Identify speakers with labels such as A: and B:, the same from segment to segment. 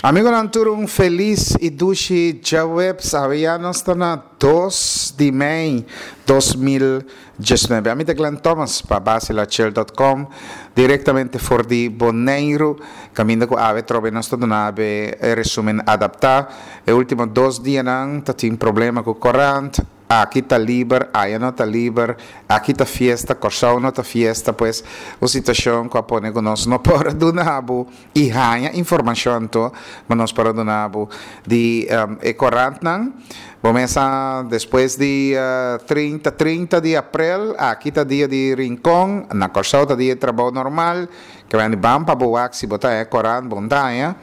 A: Amigonan tur un felis i dushi djaweps. Awe ya nos ta na dos di mei 2019. Ami ta Glenn Thomas pa basilachel.com direktamente for di Boneiru kaminda ku awe trobe nos ta duna awe e resumen adaptá. E ultimo dos dianan ta tin problema ku korant. Aki ta liber, aya no ta liber, aki ta fiesta, Kòrsou no ta fiesta, pues un situashon ku a pone ku nos no por a duna bo i haña informashon anto ku nos por a duna bo di e korantnan. Bo mes a despues di 30 trinta di aprel, aki ta dia di Rincon, na Kòrsou ta dia di trabou normal, ke bini ban pa bo wak si bo ta haña korant bo no ta haña.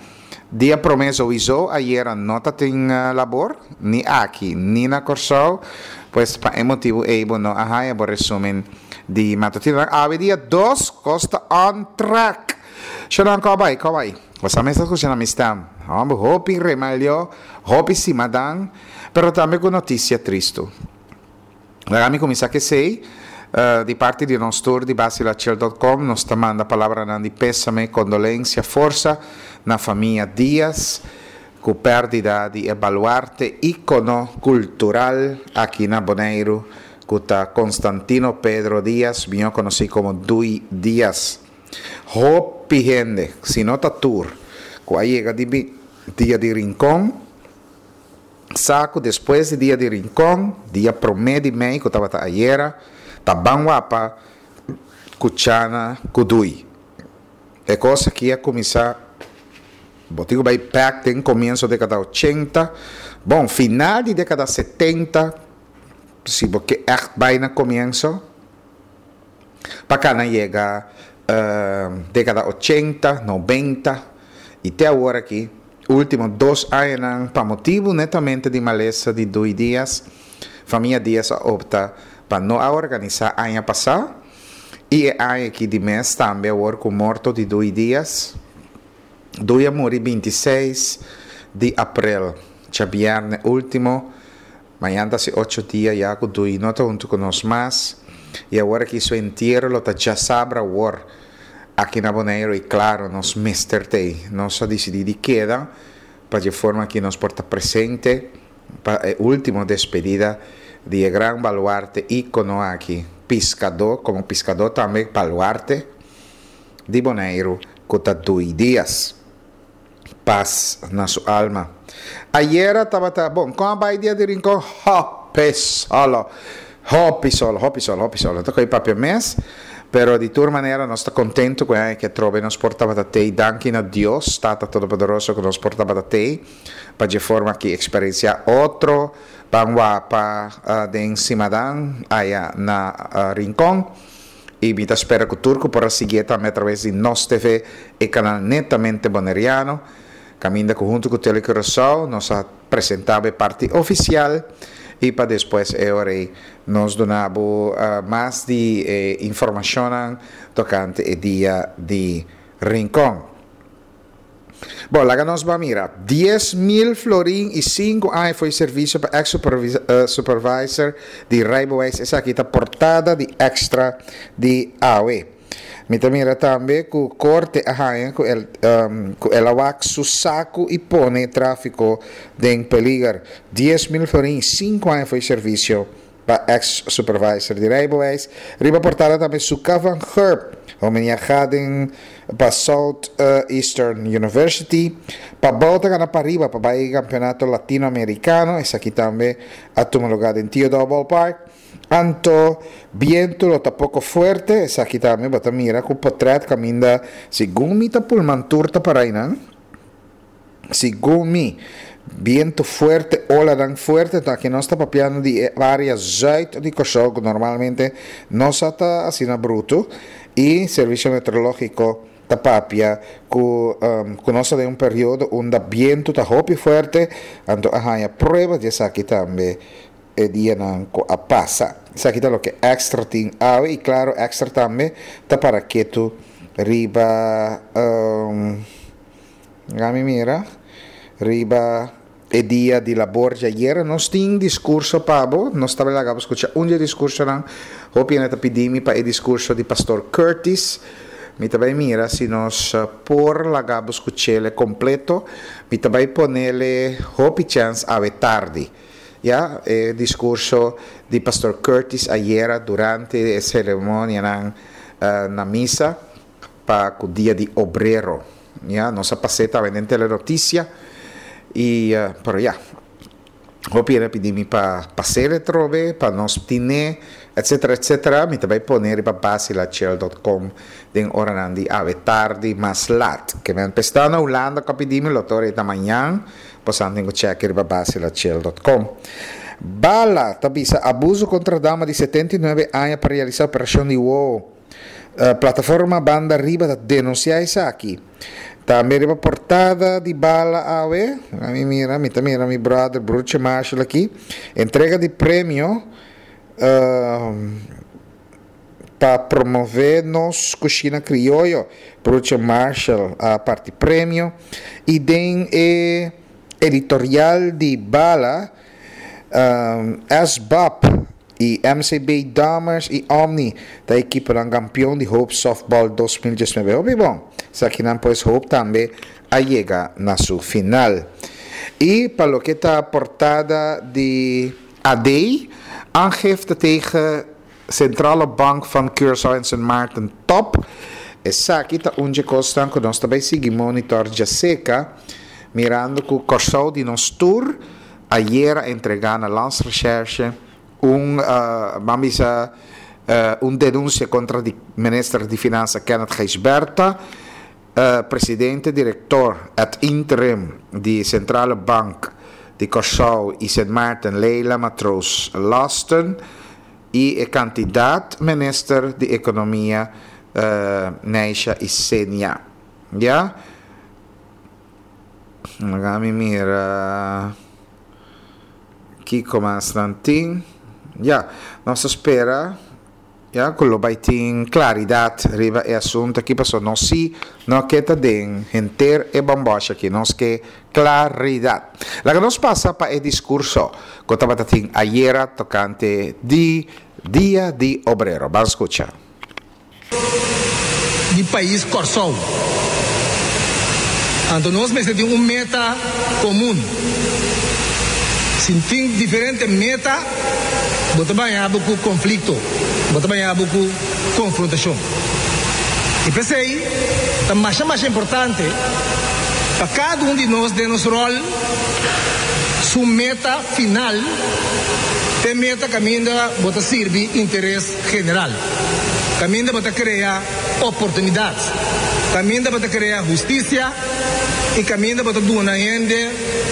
A: Dia promé souiso ayera no ta tin labor, ni aki ni na Kòrsou, pues pa e motibu ei bo no a haña bo resumen di matutinonan. Awe dia dos kos ta on track. Shonnan kò bai, kò bai. Bo sa mes ta skucha na mi stem. Hòmber hopi remalió, hopi simadan, pero tambe ku notisia tristu. Laga mi kuminsá ku esei. Di parti di nos tur di Basilachel dot com nos ta manda palabranan di pésame, kondolensia, forsa na famia Diaz ku pèrdida di e baluarte íkono kultural aki na Boneiru ku ta Constantino Pedro Diaz, mihó konosí komo Dui Diaz. Hopi hende, si no ta tur, ku a yega di dia di Rincon, Sa ku despues di dia di Rincon, dia promé di mei ku tabata ayera, ta ban wapa ku Chana ku Dui. E kos aki a kuminsá, bo tin ku bai bèk den komienso dekada ochenta, bon, final di dekada setenta, si bo ke ègt bai na komienso. Pa kana yega dekada ochenta, nobenta i te awor aki, ultimo dos añanan pa motibu netamente di malesa di Dui Diaz, famia Diaz a opta pa no a organisá aña pasá i e aña aki di mes tambe awor ku morto di Dui Diaz. Dui a muri 26 di aprel, djabièrnè ultimo. Mañan ta hasi ocho dia ya ku Dui no ta huntu ku nos mas i awor aki su entiero lo ta djasabra awor aki na Boneiru i klaro nos mester t'ei. Nos a disidí di keda pa dje forma aki nos por ta presente pa e ultimo despedida di e gran baluarte íkono aki, piskadó, komo piskadó tambe baluarte di Boneiru ku ta Dui Diaz. Pas na su alma. Ayera tabata bon. Kon a bai dia di Rincon? Hopi solo. Hopi solo, hopi solo, hopi solo. Ta koe papia mes, pero di tur manera nos ta contento ku e aña ke atrobe nos por tabata tei. Danki na Dios, Tata Todopoderoso, ku nos por tabata tei pa dje forma aki eksperensiá otro ban wapa den Simadan aya na Rincon. I mi ta spera ku tur ku por a siguié tambe atraves di Nos TV, e kanal netamente boneriano, kaminda ku huntu ku Tele Curaçao nos a presentá bo e parti ofisial i pa despues e ora ei nos duna bo mas di e informashonnan tokante e dia di Rincon. Bon, laga nos ban mira. 10,000 florin i sinku aña fo'i servisio pa ex supervisor di rijbewijs. Esaki ta portada di Extra di awe. Mi ta mira tambe ku korte a haña ku el ku el a wak su saku i pone tráfiko den peliger. 10,000 florin i sinku aña fo'i servisio Pa ex supervisor di rijbewijs. Riba portada tambe Suka van Gurp, homeniaga den pa South Eastern University. Pa bou ta gana pariba pa bai Campeonato Latino Americano, esaki tambe a tuma lugar den Theodore Ballpark. Anto biento lo ta poco fuerte, esaki tambe bo ta mira cu potret caminda segun mi ta pulman tur ta para einan. Segun mi, bientu fuerte, olanan fuerte, ta aki nos ta papiando di e área zuid di Kòrsou ku normalmente no sa ta asina brutu i Servisio Meteorológiko ta papia ku ku nos ta den un periodo unda bientu ta hopi fuerte, anto a haña prueba di esaki tambe e dianan ku a pasa. Esaki ta loke Extra tin awe i klaro Extra tambe ta para ketu riba. Laga mi mira riba e dia di labor djayer. Nos tin diskurso pa bo. Nos ta laga bo skucha un di e diskursonan. Hopi hende ta pidi mi pa e diskurso di Pastor Curtis. Mi ta bai mira si nos por laga bo skuch'ele kompleto. Mi ta bai ponele hopi chèns awe tardi. Ya, e diskurso di Pastor Curtis ayera durante e seremonianan na misa pa ku Dia di Obrero. Ya, nos a pas'é tambe den Telenotisia i, pero ya. Hopi hende a pidi mi pa pas'é atrobe, pa nos tin'é, etcetera, etcetera. Mi ta bai pone riba basilachel dot com den oranan di awe tardi mas lat. Ke men p'e na Hulanda ku a pidi mi lo ta ora ei ta mañan, bosan tin ku chèk riba basilachel dot com. Bala ta bisa abuso kontra dama di 79 aña pa realisá operashon di wowo. Plataforma Banda Riba ta denunsiá esaki. Tambe riba portada di Bala awe, mi mira, mi ta mira mi brother Broertje Marshall aki, entrega di premio pa promove nos kushina krioyo. Broertje Marshall a parti premio. I den e editorial di Bala, SBAP i MCB Dammers i Omni ta ekiponan kampion di Hope Softball 2019. Hopi bon! Esakinan pues Hope tambe a yega na su final. I pa loke ta portada di AD, aangifte tegen Centrale Bank van Curaçao en Sint Maarten top. Esaki ta un dje kosnan ku nos ta bai sigui monitor djaseka, mirando ku Kòrsou di nos tur ayer a entregá na Landsrecherche un, ban bisa, un denunsia kontra di Minister di Finansa Kenneth Gijsbertha, Presidente Direktor ad interim di Centrale Bank di Kòrsou i Sint Maarten Leila Matroos Lasten i e kandidat Minister di Ekonomia Neisha Isenia. Ya. Laga mi mira kiko mas nan tin. Ya, nos ta spera ya ku lo bai tin klaridat riba e asuntu aki pasobra nos si no ke ta den henter e bòmbòsh aki. Nos ke klaridat. Laga nos pasa pa e diskurso ku tabata tin ayera tokante di Dia di Obrero. Ban skucha.
B: Di pais Kòrsou. Anto nos mester tin un meta komun. Si tin diferente meta, bo ta baña bo ku konflikto, bo ta baña bo ku konfrontashon. I p'esei ta masha masha importante pa kada un di nos den nos ròl su meta final ta e meta kaminda bo ta sirbi interes general. Kaminda bo ta krea oportunidat, kaminda bo ta krea hustisia i kaminda bo ta duna hende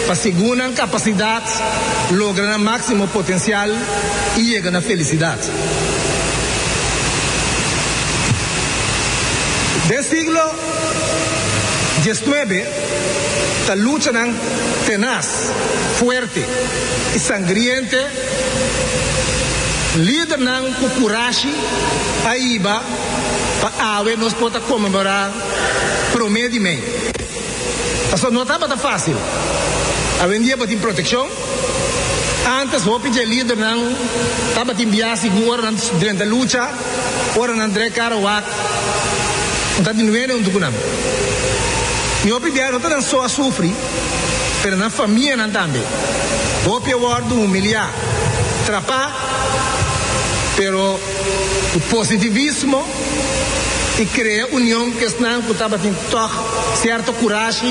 B: pa segun nan kapasidat logra nan máksimo potensial i yega na felisidat. Den siglo diesnuebe ta luchanan tenas, fuerte i sangriente. Lidernan ku kurashi a hiba pa awe nos por ta konmemorá promé di mei. Pasobra no tabata fásil. Awendia bo tin protekshon. Ántes hopi dje lidernan tabatin bia sigun ora nan drenta lucha, ora nan drei kara wak, no tabatin nuene huntu ku nan. I hopi bia no ta nan so a sufri. Pero nan famianan tambe. Hopi a wòrdu humiliá, trapá, pero ku positivismo i krea union ku esnan ku tabatin tòg sierto kurashi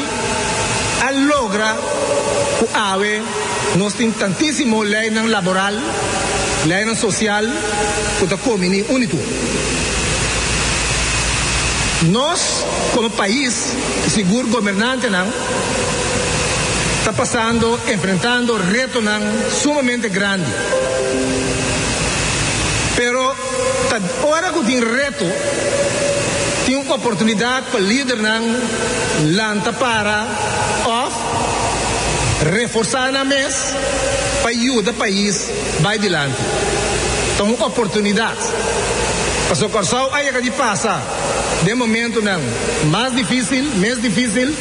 B: a logra ku awe nos tin tantísimo leinan laboral, leinan sosial ku ta kombiní un i tur. Nos komo pais i sigur gobernantenan ta pasando, enfrentando retonan sumamente grandi. Pero ta ora ku tin reto, tin un oportunidat pa lidernan lanta para òf reforsá nan mes pa yuda pais bai dilanti. Ta un oportunidat. Pasobra Kòrsou a yega di pasa den momentunan mas difísil, mes difísil,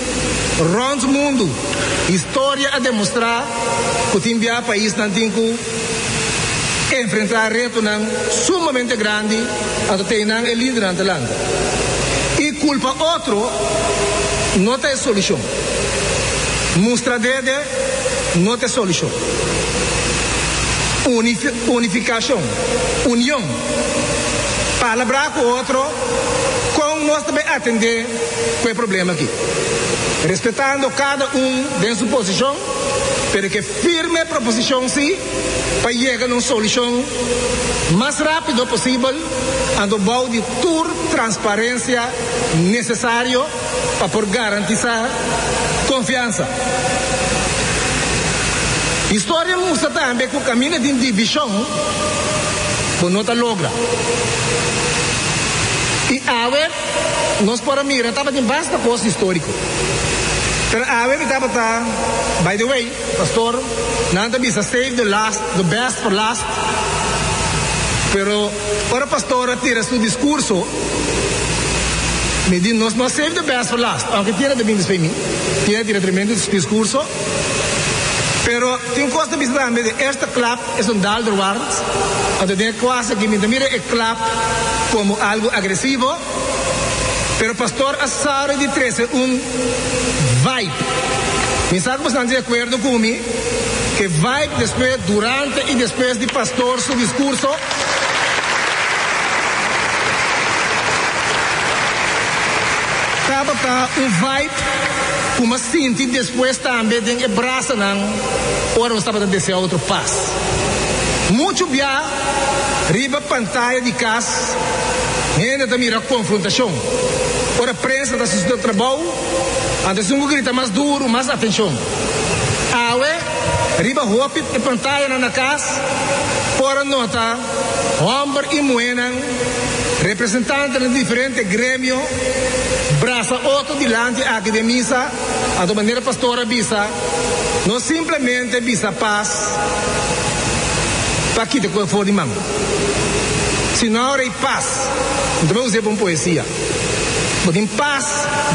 B: rònt mundu. Historia a demostrá ku tin bia paisnan tin ku enfrentá retonan sumamente grandi, anto te einan e lidernan ta lanta. I. Kulpa otro no ta e solushon. Mustra dede no ta e solushon. Unifikashon, union, palabrá ku otro kon nos ta bai atendé ku e problema aki. Respetando kada un den su posishon, pero ke firme proposishon si pa yega na un solushon mas rápido posibel anto bou di tur transparensia nesesario pa por garantisá konfiansa. Historia mustra tambe ku kaminda tin divishon bo no ta logra. I awe nos por a mira tabatin basta kos históriko. Pero awe mi tabata, by the way, pastor, nan ta bisa save the last, the best for last, pero ora pastor a tira su diskurso, Mi di, Nos no a save the best for last, aunke Tina ta bin despues mi. Tina tira tremendo discurso. Pero tin un cos ta bisa tambe, de eerste klap es un daalder waard. Anto den e klas aki mi ta mira e klap como algo agresivo, pero pastor a sabi di trece un vibe. Mi sa cu boso di acuerdo cu mi, e vibe despues, durante y despues di pastor su discurso, Tabata un vibe ku m'a sinti despues tambe den e brasanan ora nos tabata desea otro pas. Muchu bia riba pantaya di kas hende ta mira konfrontashon. Ora prensa ta hasi su trabou, anto esun ku grita mas duru, mas atenshon. Awe riba hopi e pantayanan na kas por a nota hòmber i muhénan, representantenan di diferente gremio, brasa otro dilanti aki den misa. Anto manera pastor a bisa, no simplemente bisa pas pa kita ku e for di man, sino ora i pas. Mi ta bai us'é pa un poesia. Bo tin pas,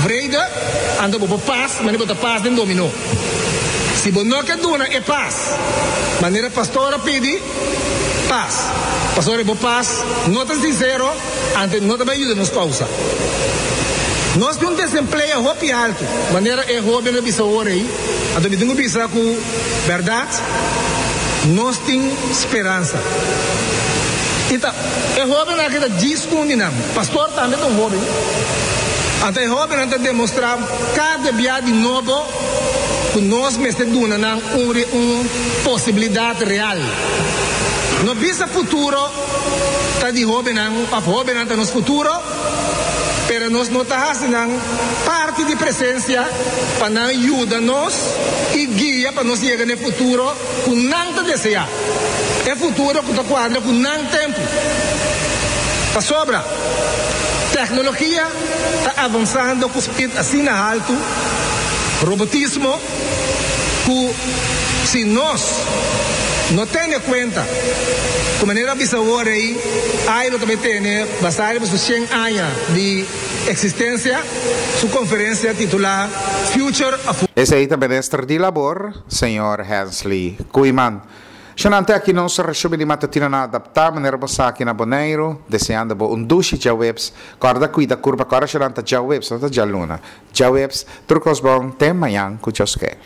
B: vrede, anto bo por pas manera bo ta pas den dominó. Si bo no ke duna e pas manera pastor a pidi, pas. Pasobra bo pas no ta sinsero, anto no ta bai yuda nos kousa. Nos tin un desempleo hopi altu, manera e hoben a bisa ora ei, anto mi tin ku bisa ku bèrdat nos tin speransa. I ta e hobennan aki ta djis un di nan. Pastor tambe ta un hoben. Anto e hobennan ta demostrá kada bia di nobo ku nos mester duna nan un un posibilidat real. No bisa futuro ta di hobennan òf hobennan ta nos futuro, pero nos no ta hasi nan parti di presensia pa nan yuda nos i guia pa nos yega na e futuro ku nan ta deseá, e futuro ku ta kuadra ku nan tempu. Pasobra teknologia ta avansando ku spit asina haltu, robotismo, ku si nos no tene kuenta ku manera a bisa awor ei, ai lo ta bai tene basá riba su shen aña di eksistensia, su konferensia titulá Future of.
A: Esei ta Minister di Labor, señor Hensley Koeiman. Shonante aki nos resumen di matutina na adaptá manera bo sa aki na Boneiru, deseando bo un dushi djaweps. Kòrda kuida kurpa, kòrda shonante djaweps, no ta djaluna. Djaweps, tur kos bon, te mañan ku Dios ke.